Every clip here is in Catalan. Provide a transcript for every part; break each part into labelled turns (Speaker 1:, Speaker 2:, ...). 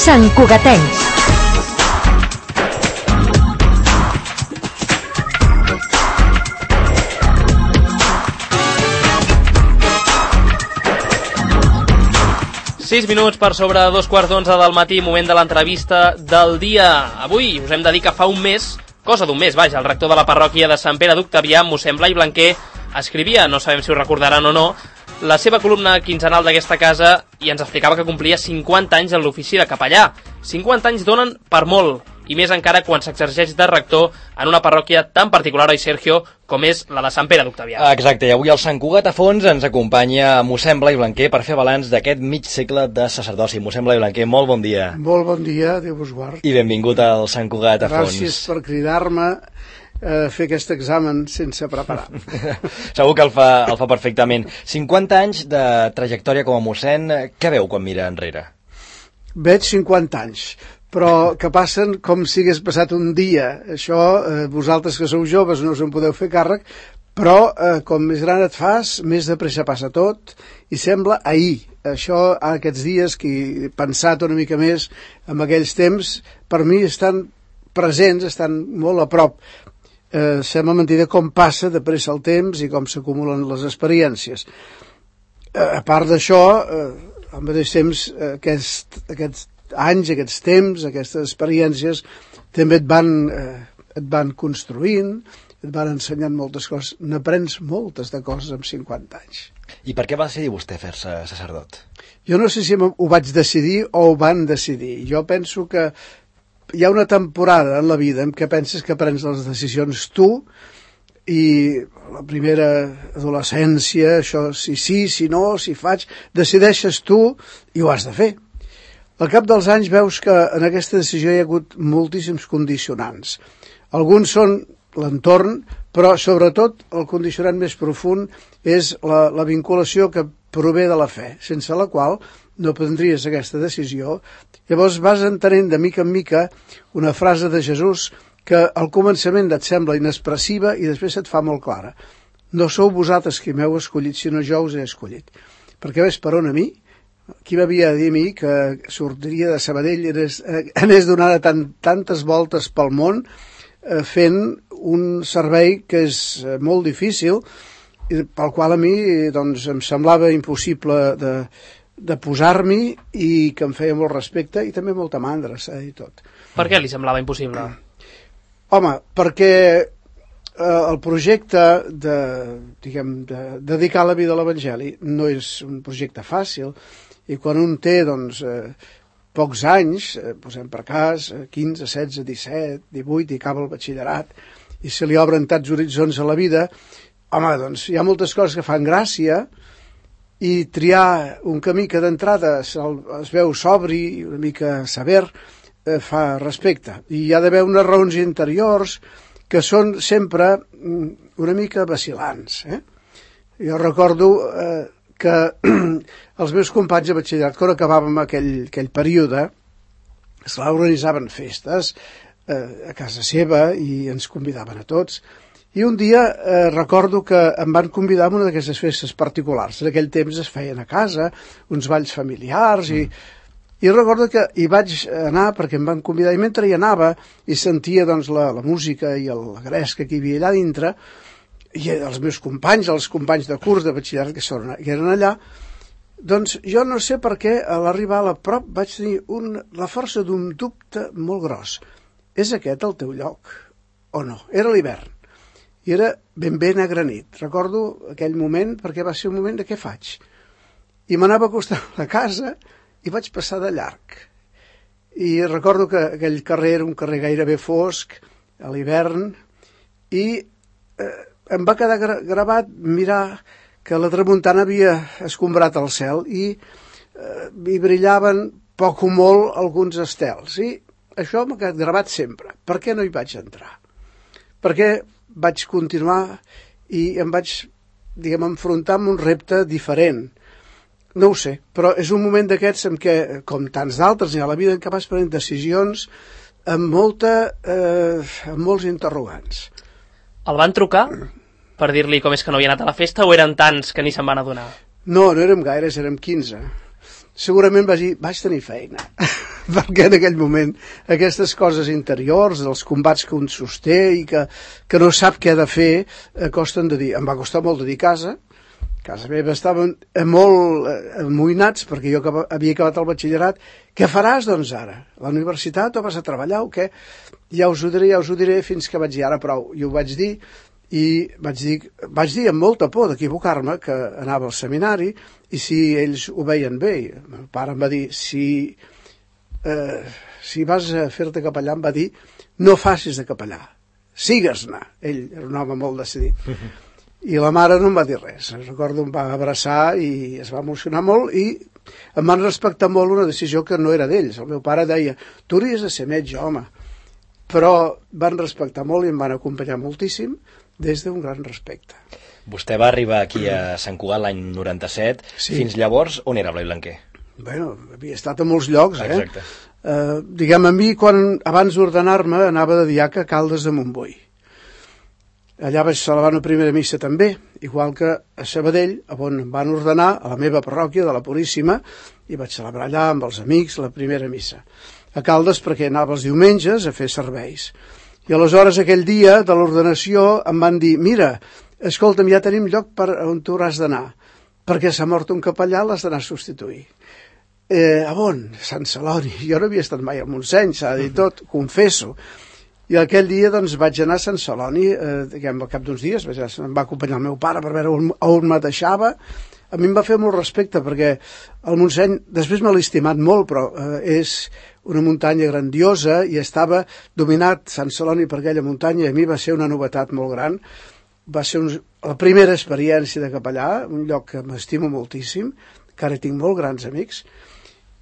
Speaker 1: Santcugatencs.
Speaker 2: Sis minuts per sobre 2:15 del matí, moment de l'entrevista del dia. Avui us hem de dir que fa un mes, cosa d'un mes, vaja, el rector de la parròquia de Sant Pere d'Octavià, mossèn Blai Blanquer, escrivia, no sabem si ho recordaran o no, la seva columna quinzenal d'aquesta casa i ens explicava que complia 50 anys en l'ofici de capellà. 50 anys donen per molt, i més encara quan s'exerceix de rector en una parròquia tan particular, oi Sergio, com és la de Sant Pere d'Octavià.
Speaker 3: Exacte, i avui al Sant Cugat a fons ens acompanya mossèn Blai Blanquer per fer balanç d'aquest mig segle de sacerdoci. Mossèn Blai Blanquer, molt bon dia.
Speaker 4: Molt bon dia, Déu vos guard.
Speaker 3: I benvingut al Sant Cugat a fons.
Speaker 4: Gràcies per cridar-me a fer aquest examen sense preparar.
Speaker 3: Segur que el fa perfectament. 50 anys de trajectòria com a mossèn, què veu quan mira enrere?
Speaker 4: Veig 50 anys, però que passen com si hagués passat un dia. Això, vosaltres que sou joves no us en podeu fer càrrec, però com més gran et fas, més de pressa passa tot, i sembla ahir. Això, aquests dies, que he pensat una mica més en aquells temps, per mi estan presents, estan molt a prop. Sembla mentida com passa de pressa el temps i com s'acumulen les experiències. A part d'això, al mateix temps, aquests anys, aquests temps, aquestes experiències també et van construint, et van ensenyant moltes coses. N'aprens moltes de coses amb 50 anys.
Speaker 3: I per què va decidir vostè fer-se sacerdot?
Speaker 4: Jo no sé si ho vaig decidir o ho van decidir. Jo penso que hi ha una temporada en la vida en què penses que prens les decisions tu, i la primera adolescència, això si no, si faig, decideixes tu i ho has de fer. Al cap dels anys veus que en aquesta decisió hi ha hagut moltíssims condicionants. Alguns són l'entorn, però sobretot el condicionant més profund és la vinculació que prové de la fe, sense la qual no prendries aquesta decisió. Llavors vas entenent de mica en mica una frase de Jesús que al començament et sembla inexpressiva i després et fa molt clara. No sou vosaltres qui m'heu escollit, sinó jo us he escollit. Perquè ves per on a mi? Qui m'havia de dir a mi que sortiria de Sabadell i anés donant tantes voltes pel món fent un servei que és molt difícil i pel qual a mi doncs, em semblava impossible de posar-m'hi i que em feia molt respecte i també molta mandra, s'ha de dir tot.
Speaker 2: Per què li semblava impossible?
Speaker 4: Home, perquè el projecte de dedicar la vida a l'Evangeli no és un projecte fàcil i quan un té doncs, pocs anys, posem per cas, 15, 16, 17, 18 i acaba el batxillerat i se li obren tants horitzons a la vida, home, doncs hi ha moltes coses que fan gràcia i triar un camí que d'entrada es veu sobri i una mica sever fa respecte. I hi ha d'haver unes raons interiors que són sempre una mica vacil·lants. Jo recordo que els meus companys de batxillerat, quan acabàvem aquell període, organitzaven festes a casa seva i ens convidaven a tots. I un dia recordo que em van convidar a una d'aquestes festes particulars. En aquell temps es feien a casa, uns balls familiars, i recordo que hi vaig anar perquè em van convidar, i mentre hi anava i sentia doncs, la música i la gresca que hi havia allà dintre, i els meus companys, els companys de curs de batxillerat que eren allà, doncs jo no sé per què a l'arribar a prop vaig tenir la força d'un dubte molt gros. És aquest el teu lloc o no? Era l'hivern. I era ben negre nit. Recordo aquell moment perquè va ser un moment de què faig. I m'anava acostant a la casa i vaig passar de llarg. I recordo que aquell carrer era un carrer gairebé fosc, a l'hivern, i em va quedar gravat mirar que la tramuntana havia escombrat el cel i brillaven poc o molt alguns estels. I això m'ha quedat gravat sempre. Per què no hi vaig entrar? Perquè vaig continuar i em vaig, enfrontar amb un repte diferent. No ho sé, però és un moment d'aquests en què, com tants d'altres, hi ha la vida en què vas prenent decisions amb molts interrogants.
Speaker 2: El van trucar per dir-li com és que no havia anat a la festa o eren tants que ni se'n van adonar?
Speaker 4: No érem gaires, érem 15. Segurament vaig tenir feina. perquè en aquell moment aquestes coses interiors, dels combats que un sosté i que no sap què ha de fer, costen de dir. Em va costar molt de dir casa meva estaven molt amoïnats perquè jo havia acabat el batxillerat. Què faràs, doncs, ara? A la universitat o vas a treballar o què? Ja us ho diré, fins que vaig dir ara prou. I ho vaig dir, i vaig dir amb molta por d'equivocar-me que anava al seminari i si ells ho veien bé. El pare em va dir, si vas a fer-te capellà, em va dir, no facis de capellà, sigues-ne. Ell era un home molt decidit. I la mare no em va dir res. Recordo, em va abraçar i es va emocionar molt i em van respectar molt una decisió que no era d'ells. El meu pare deia, tu hauries de ser metge, home. Però van respectar molt i em van acompanyar moltíssim des d'un gran respecte.
Speaker 3: Vostè va arribar aquí a Sant Cugat l'any 97. Sí. Fins llavors, on era Blai Blanquer?
Speaker 4: Bueno, havia estat a molts llocs,
Speaker 3: Exacte.
Speaker 4: Diguem, a mi, abans d'ordenar-me, anava de diaca a Caldes de Montbui. Allà vaig celebrar una primera missa també, igual que a Sabadell, on em van ordenar a la meva parròquia de la Puríssima, i vaig celebrar allà amb els amics la primera missa. A Caldes perquè anava els diumenges a fer serveis. I aleshores aquell dia de l'ordenació em van dir, mira, escolta'm, ja tenim lloc per on tu hauràs d'anar, perquè s'ha mort un capellà, l'has d'anar a substituir. A on? Sant Celoni. Jo no havia estat mai al Montseny, s'ha de dir tot, confesso. I aquell dia doncs, vaig anar a Sant Celoni, al cap d'uns dies, em va acompanyar el meu pare per veure on me deixava. A mi em va fer molt respecte, perquè el Montseny, després me l'he estimat molt, però és una muntanya grandiosa i estava dominat Sant Celoni per aquella muntanya, i a mi va ser una novetat molt gran. Va ser la primera experiència de capellà, un lloc que m'estimo moltíssim, que ara tinc molt grans amics.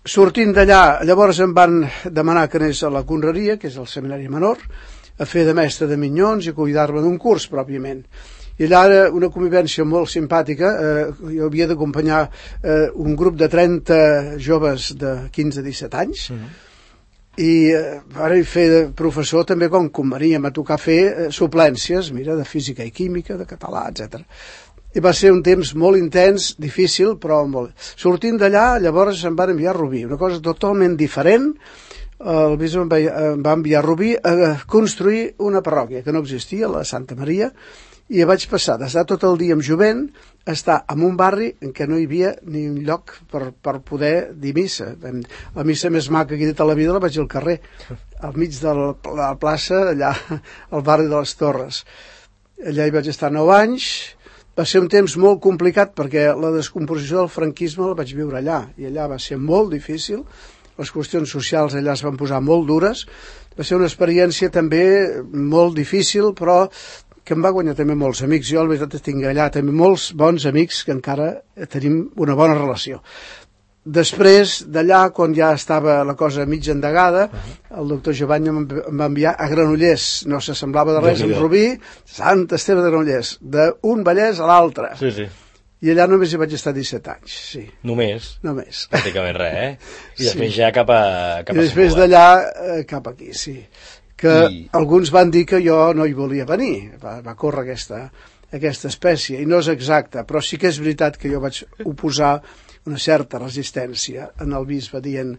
Speaker 4: Sortint d'allà, llavors em van demanar que anés a la Conreria, que és el seminari menor, a fer de mestre de minyons i cuidar-me d'un curs, pròpiament. I allà era una convivència molt simpàtica. Jo havia d'acompanyar un grup de 30 joves de 15 a 17 anys, i ara fer de professor també quan convenia. M'ha tocat fer suplències, mira, de física i química, de català, etc. I va ser un temps molt intens, difícil, però molt... Sortint d'allà, llavors em van enviar a Rubí, una cosa totalment diferent. El bisbe em va enviar a Rubí a construir una parròquia que no existia, la Santa Maria, i vaig passar d'estar tot el dia amb jovent a estar en un barri en què no hi havia ni un lloc per poder dir missa. La missa més maca que he dit a la vida la vaig al carrer, al mig de la plaça, allà al barri de les Torres. Allà hi vaig estar 9 anys. Va ser un temps molt complicat perquè la descomposició del franquisme la vaig viure allà, i allà va ser molt difícil. Les qüestions socials allà es van posar molt dures. Va ser una experiència també molt difícil, però que em va guanyar també molts amics. Jo, la veritat, tinc allà també molts bons amics que encara tenim una bona relació. Després d'allà, quan ja estava la cosa mig endegada, el doctor Jovany em va enviar a Granollers. No s'assemblava de res amb Rubí, Sant Esteve de Granollers, d'un Vallès a l'altre.
Speaker 3: Sí, sí.
Speaker 4: I allà només hi vaig estar 17 anys, sí.
Speaker 3: Només?
Speaker 4: Només.
Speaker 3: Pràcticament res, I després ja cap a
Speaker 4: I després d'allà cap aquí, sí. Que alguns van dir que jo no hi volia venir. Va córrer aquesta espècie, i no és exacte, però sí que és veritat que jo vaig oposar una certa resistència en el bisbe dient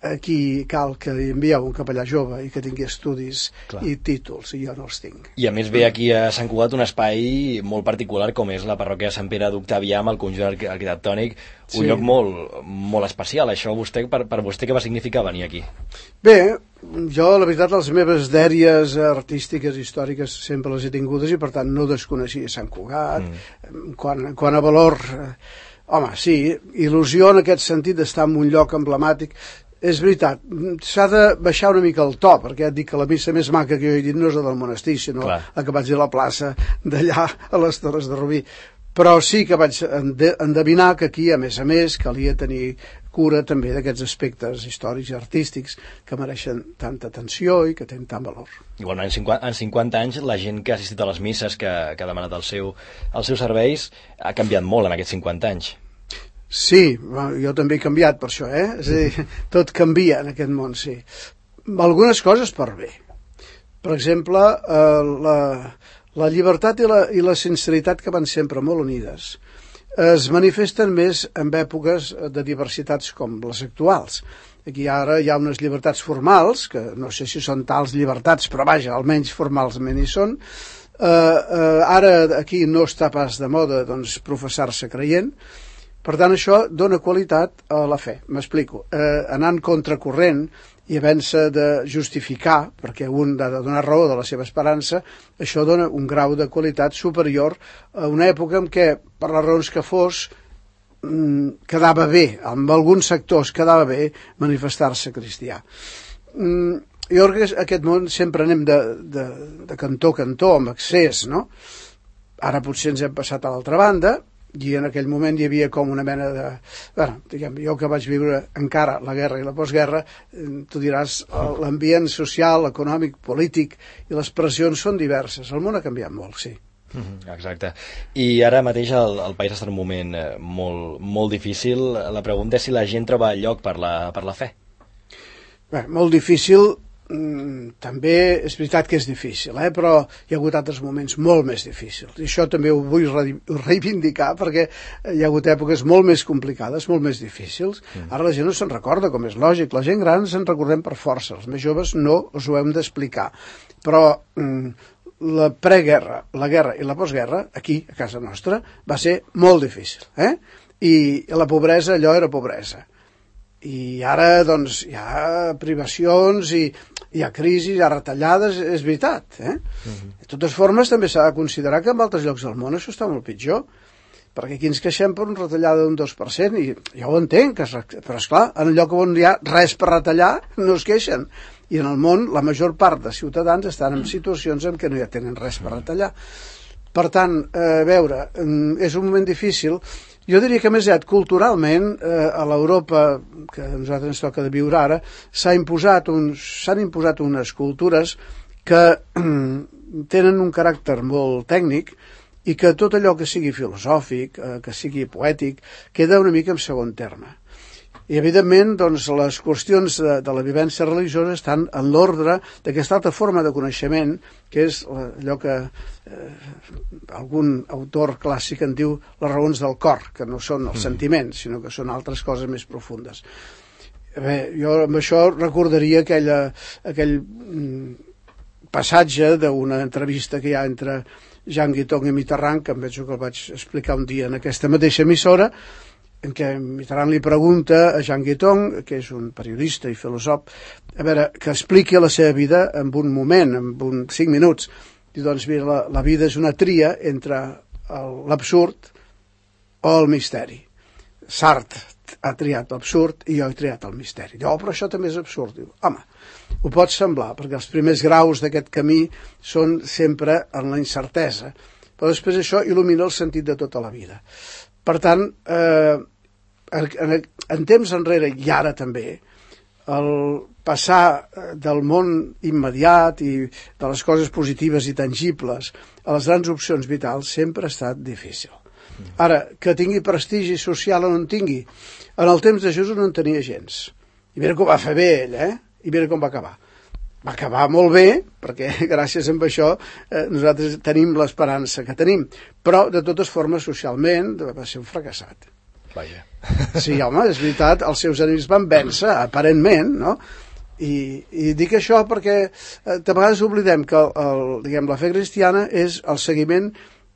Speaker 4: aquí cal que envieu un capellà jove i que tingui estudis i títols, i jo no els tinc.
Speaker 3: I a més ve aquí a Sant Cugat un espai molt particular com és la parròquia de Sant Pere d'Octavià amb el conjunt arquitectònic, un lloc molt especial. Això per vostè què va significar venir aquí?
Speaker 4: Bé, jo la veritat les meves dèries artístiques, històriques sempre les he tingudes i per tant no desconeixia Sant Cugat. Quan a valor... Home, sí, il·lusió en aquest sentit d'estar en un lloc emblemàtic. És veritat, s'ha de baixar una mica el to, perquè et dic que la missa més maca que jo he dit no és la del monestir, sinó la que vaig dir a la plaça d'allà a les Torres de Rubí. Però sí que vaig endevinar que aquí, a més, calia tenir cura també d'aquests aspectes històrics i artístics que mereixen tanta atenció i que tenen tant valor.
Speaker 3: Igualment, en 50 anys, la gent que ha assistit a les misses, que ha demanat els seus serveis, ha canviat molt en aquests 50 anys.
Speaker 4: Sí, jo també he canviat per això, És a dir, tot canvia en aquest món, sí. Algunes coses per bé. Per exemple, la llibertat i la sinceritat que van sempre molt unides. es manifesten més en èpoques de diversitats com les actuals. Aquí ara hi ha unes llibertats formals, que no sé si són tals llibertats, però vaja, almenys formalment hi són. Ara aquí no està pas de moda doncs, professar-se creient. Per tant, això dona qualitat a la fe. M'explico. Anant contracorrent i havent-se de justificar, perquè un ha de donar raó de la seva esperança, això dona un grau de qualitat superior a una època en què, per les raons que fos, quedava bé, en alguns sectors quedava bé manifestar-se cristià. Jo crec que aquest món sempre anem de cantó a cantó, amb excés, no? Ara potser ens hem passat a l'altra banda, i en aquell moment hi havia com una mena de... Bueno, diguem, jo que vaig viure encara la guerra i la postguerra, tu diràs, l'ambient social, econòmic, polític i les pressions són diverses. El món ha canviat molt, sí.
Speaker 3: Exacte. I ara mateix el país està en un moment molt difícil. La pregunta és si la gent troba lloc per la fe.
Speaker 4: Bé, molt difícil, també és veritat que és difícil, però hi ha hagut altres moments molt més difícils. I això també ho vull reivindicar perquè hi ha hagut èpoques molt més complicades, molt més difícils. Ara la gent no se'n recorda, com és lògic. La gent gran se'n recordem per força. Els més joves no us ho hem d'explicar. Però la preguerra, la guerra i la postguerra, aquí, a casa nostra, va ser molt difícil. I la pobresa, allò era pobresa. I ara, doncs, hi ha privacions, i hi ha crisis, hi ha retallades, és veritat. De totes formes, també s'ha de considerar que en altres llocs del món això està molt pitjor, perquè aquí ens queixem per una retallada d'un 2%, i ja ho entenc, però esclar, en el lloc on hi ha res per retallar, no es queixen. I en el món, la major part de ciutadans estan en situacions en què no hi tenen res per retallar. Per tant, a veure, és un moment difícil. Jo diria que més aviat culturalment a l'Europa que a nosaltres ens toca de viure ara s'han imposat unes cultures que tenen un caràcter molt tècnic i que tot allò que sigui filosòfic, que sigui poètic, queda una mica en segon terme. I evidentment doncs, les qüestions de la vivència religiosa estan en l'ordre d'aquesta altra forma de coneixement, que és allò que algun autor clàssic en diu les raons del cor, que no són els sentiments, sinó que són altres coses més profundes. Bé, jo amb això recordaria aquell passatge d'una entrevista que hi ha entre Jean Guiton i Mitterrand, que em penso que el vaig explicar un dia en aquesta mateixa emissora, en què Mitterrand li pregunta a Jean Guiton, que és un periodista i filòsof, a veure, que expliqui la seva vida en un moment, en 5 minuts. I doncs, mira, la vida és una tria entre l'absurd o el misteri. Sartre ha triat l'absurd i jo he triat el misteri. Diu, però això també és absurd. Diu, home, ho pot semblar, perquè els primers graus d'aquest camí són sempre en la incertesa, però després això il·lumina el sentit de tota la vida. Per tant, en temps enrere i ara també, el passar del món immediat i de les coses positives i tangibles a les grans opcions vitals sempre ha estat difícil. Ara, que tingui prestigi social o no en tingui, en el temps de Jesús no en tenia gens. I mira com va fer bé ell, i mira com va acabar. Va acabar molt bé, perquè gràcies a això nosaltres tenim l'esperança que tenim, però de totes formes socialment va ser un fracassat.
Speaker 3: Vaja.
Speaker 4: Sí, home, és veritat, els seus enemics van vèncer, aparentment, no? I dic això perquè de vegades oblidem que la fe cristiana és el seguiment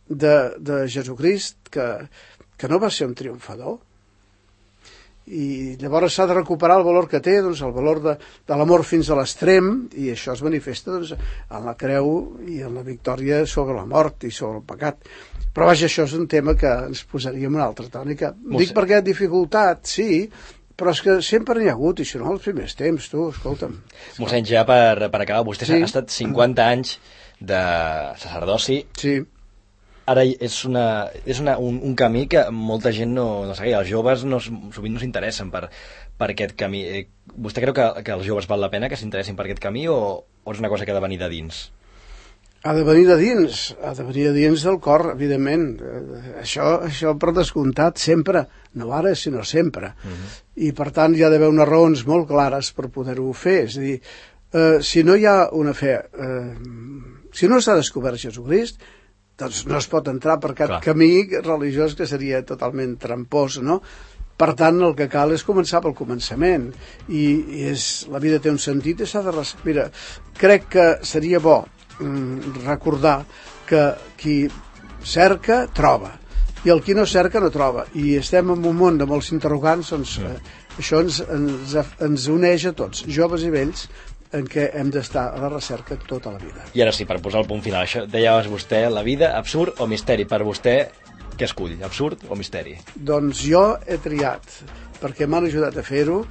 Speaker 4: de Jesucrist, que no va ser un triomfador. I llavors s'ha de recuperar el valor que té, doncs, el valor de l'amor fins a l'extrem, i això es manifesta doncs, en la creu i en la victòria sobre la mort i sobre el pecat. Però vaja, això és un tema que ens posaríem una altra tònica. Dic perquè dificultat, sí, però és que sempre n'hi ha hagut, i si no, els primers temps, tu, escolta'm.
Speaker 3: Mossèn, ja per acabar, vostè ha estat 50 anys de sacerdoci.
Speaker 4: Sí.
Speaker 3: Ara és un camí que molta gent no segueix. Els joves sovint no s'interessen per aquest camí. Vostè creu que els joves val la pena que s'interessin per aquest camí o és una cosa que ha de venir de dins?
Speaker 4: Ha de venir de dins del cor, evidentment. Això per descomptat, sempre, no ara, sinó sempre. I per tant hi ha d'haver unes raons molt clares per poder-ho fer. És a dir, si no hi ha una fe, si no s'ha descobert Jesucrist, doncs no es pot entrar per cap camí religiós que seria totalment trampós, no? Per tant, el que cal és començar pel començament, i la vida té un sentit i s'ha de... Mira, crec que seria bo recordar que qui cerca, troba, i el qui no cerca no troba, i estem en un món de molts interrogants, doncs això ens uneix a tots, joves i vells, en què hem d'estar a la recerca tota la vida.
Speaker 3: I ara sí, per posar el punt final, això deies vostè, la vida, absurd o misteri? Per vostè, què escull, absurd o misteri?
Speaker 4: Doncs jo he triat, perquè m'han ajudat a fer-ho,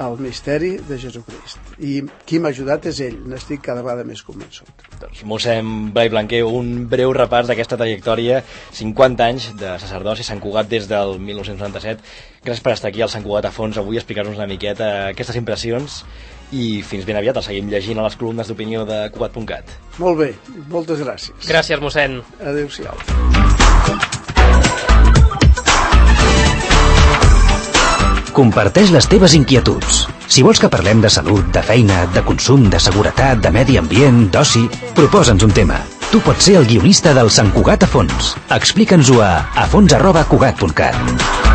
Speaker 4: el misteri de Jesucrist. I qui m'ha ajudat és ell, n'estic cada vegada més convençut.
Speaker 3: Doncs mossèn Blai Blanquer, un breu repàs d'aquesta trajectòria, 50 anys de sacerdoci a Sant Cugat des del 1997. Gràcies per estar aquí al Sant Cugat a fons avui, explicar-nos una miqueta aquestes impressions, i fins ben aviat, el seguim llegint a les columnes d'opinió de Cugat.cat.
Speaker 4: Molt bé, moltes gràcies.
Speaker 2: Gràcies, mossèn.
Speaker 4: Adéu-siau.
Speaker 1: Comparteix les teves inquietuds. Si vols que parlem de salut, de feina, de consum, de seguretat, de medi ambient, d'oci, proposa'ns un tema. Tu pots ser el guionista del Sant Cugat a fons. Explica'ns-ho a fons@cugat.cat.